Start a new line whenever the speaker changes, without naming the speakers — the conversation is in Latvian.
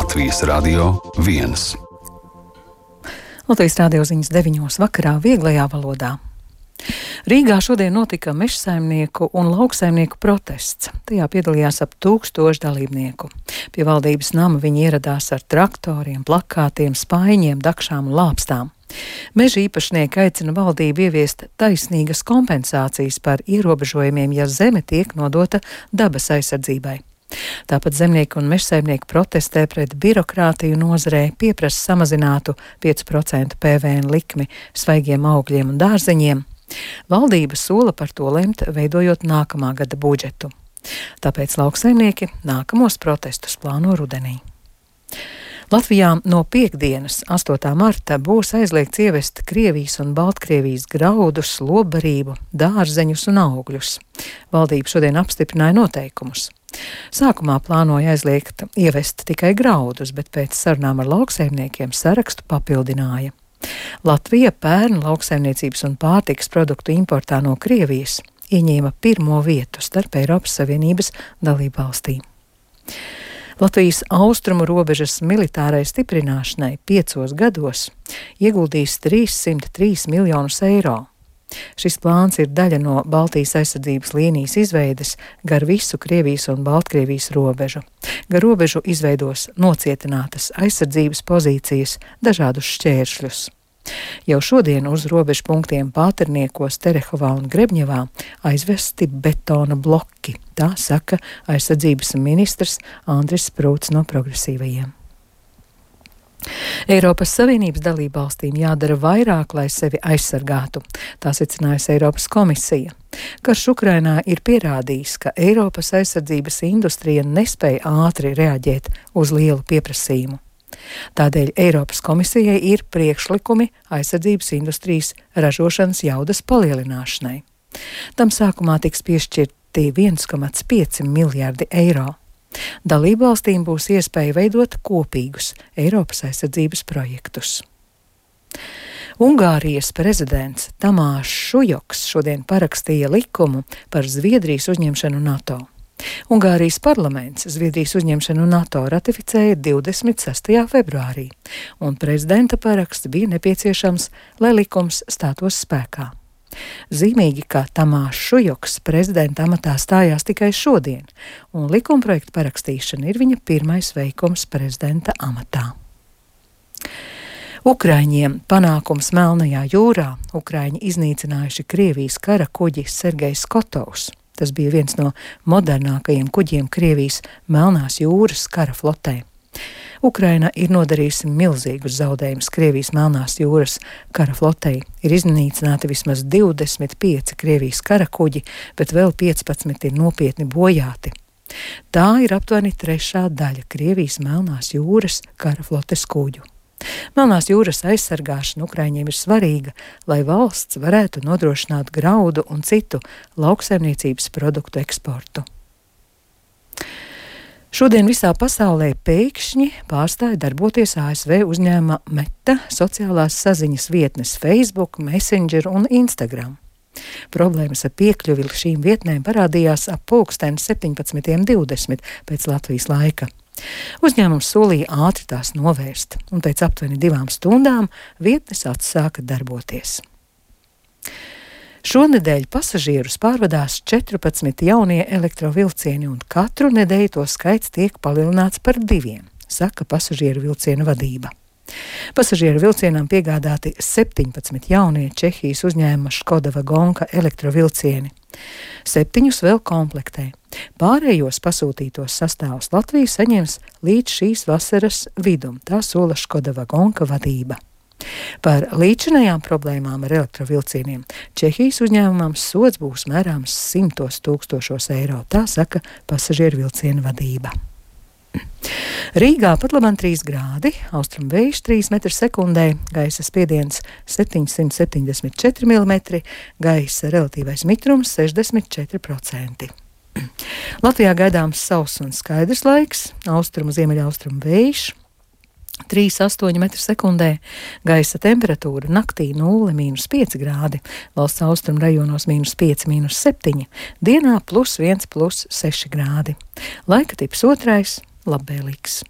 Latvijas Radio 1.
Latvijas radio ziņas 9 vakarā vieglajā valodā. Rīgā šodien notika mežsaimnieku un lauksaimnieku protests. Tajā piedalījās ap 1000 dalībnieku. Pie valdības nama viņi ieradās ar traktoriem, plakātiem, spaiņiem, dakšām un lāpstām. Meža īpašnieki aicina valdību ieviest taisnīgas kompensācijas par ierobežojumiem, ja zeme tiek nodota dabas aizsardzībai. Tāpat zemnieki un mežsaimnieki protestē pret birokrātiju nozarē, pieprasa samazinātu 5% PVN likmi svaigiem augļiem un dārzeņiem. Valdība sola par to lemt, veidojot nākamā gada budžetu. Tāpēc lauksaimnieki nākamos protestus plāno rudenī. Latvijā no piektdienas, 8. marta, būs aizliegts ievest Krievijas un Baltkrievijas graudus, lobbarību, dārzeņus un augļus. Valdība šodien apstiprināja noteikumus. Sākumā plānoja aizliegt ievest tikai graudus, bet pēc sarunām ar lauksaimniekiem sarakstu papildināja. Latvija pērn lauksaimniecības un pārtikas produktu importā no Krievijas ieņēma 1. vietu starp Eiropas Savienības dalībvalstīm. Latvijas austrumu robežas militārai stiprināšanai 5 gados ieguldīs 303 miljonus eiro. Šis plāns ir daļa no Baltijas aizsardzības līnijas izveides gar visu Krievijas un Baltkrievijas robežu. Gar robežu izveidos nocietinātas aizsardzības pozīcijas, dažādus šķēršļus. Jau šodien uz robežu punktiem Pāterniekos, Terehovā un Grebņevā aizvesti betona bloki, tā saka aizsardzības ministrs Andris Sprūts no Progresīvajiem. Eiropas Savienības dalībvalstīm jādara vairāk, lai sevi aizsargātu, tā secinājusi Eiropas komisija. Karš Ukrainā ir pierādījis, ka Eiropas aizsardzības industrija nespēja ātri reaģēt uz lielu pieprasījumu. Tādēļ Eiropas komisijai ir priekšlikumi aizsardzības industrijas ražošanas jaudas palielināšanai. Tam sākumā tiks piešķirti 1,5 miljardi eiro. Dalībvalstīm būs iespēja veidot kopīgus Eiropas aizsardzības projektus. Ungārijas prezidents Tamārs Šujoks šodien parakstīja likumu par Zviedrijas uzņemšanu NATO. Ungārijas parlaments Zviedrijas uzņemšanu NATO ratificēja 26. februārī, un prezidenta paraksts bija nepieciešams, lai likums stātos spēkā. Zīmīgi, ka Tamārs Šujoks prezidenta amatā stājās tikai šodien, un likumprojekta parakstīšana ir viņa pirmais veikums prezidenta amatā. Ukraiņiem panākums Melnajā jūrā. Ukraiņi iznīcinājuši Krievijas kara kuģi Sergejs Kotovs. Tas bija viens no modernākajiem kuģiem Krievijas Melnās jūras kara flotē. Ukraina ir nodarījusi milzīgus zaudējumus Krievijas Melnās jūras kara flotei. Ir iznīcināti vismaz 25 Krievijas kara kuģi, bet vēl 15 ir nopietni bojāti. Tā ir aptuveni 3. daļa Krievijas Melnās jūras kara flotes kuģu. Melnās jūras aizsargāšana Ukraiņiem ir svarīga, lai valsts varētu nodrošināt graudu un citu lauksaimniecības produktu eksportu. Šodien visā pasaulē pēkšņi pārstāja darboties ASV uzņēmuma Meta sociālās saziņas vietnes Facebook, Messenger un Instagram. Problēmas ar piekļuvi šīm vietnēm parādījās ap 17:20 pēc Latvijas laika. Uzņēmums solīja ātri tās novērst, un pēc aptuveni 2 stundām vietnes atsāka darboties. Šonedēļ pasažierus pārvadās 14 jaunie elektrovilcieni, un katru nedēļu to skaits tiek palielināts par 2, saka pasažieru vilcienu vadība. Pasažieru vilcienam piegādāti 17 jaunie Čehijas uzņēmuma Škoda Vagonka elektrovilcieni. 7 vēl komplektē. Pārējos pasūtītos sastāvus Latvija saņems līdz šīs vasaras vidum, tā sola Škoda Vagonka vadība. Par līdzinājām problēmām ar elektrovilcieniem Čehijas uzņēmumam sods būs mērāms 100 000 eiro, tā saka pasažieru vilcienu vadība. Rīgā pat labam 3 grādi, austrumu vējš 3 m/sekundē, gaisa spiediens 774 mm, gaisa relatīvais mitrums 64%. Latvijā gaidāms sauss un skaidrs laiks, austrumu ziemeļaustrumu vējš 3,8 m/sekundē, gaisa temperatūra naktī 0–5 grādi, valsts austrumu rajonos -5, -7, dienā +1, +6 grādi. Laika tips 2, labvēlīgs.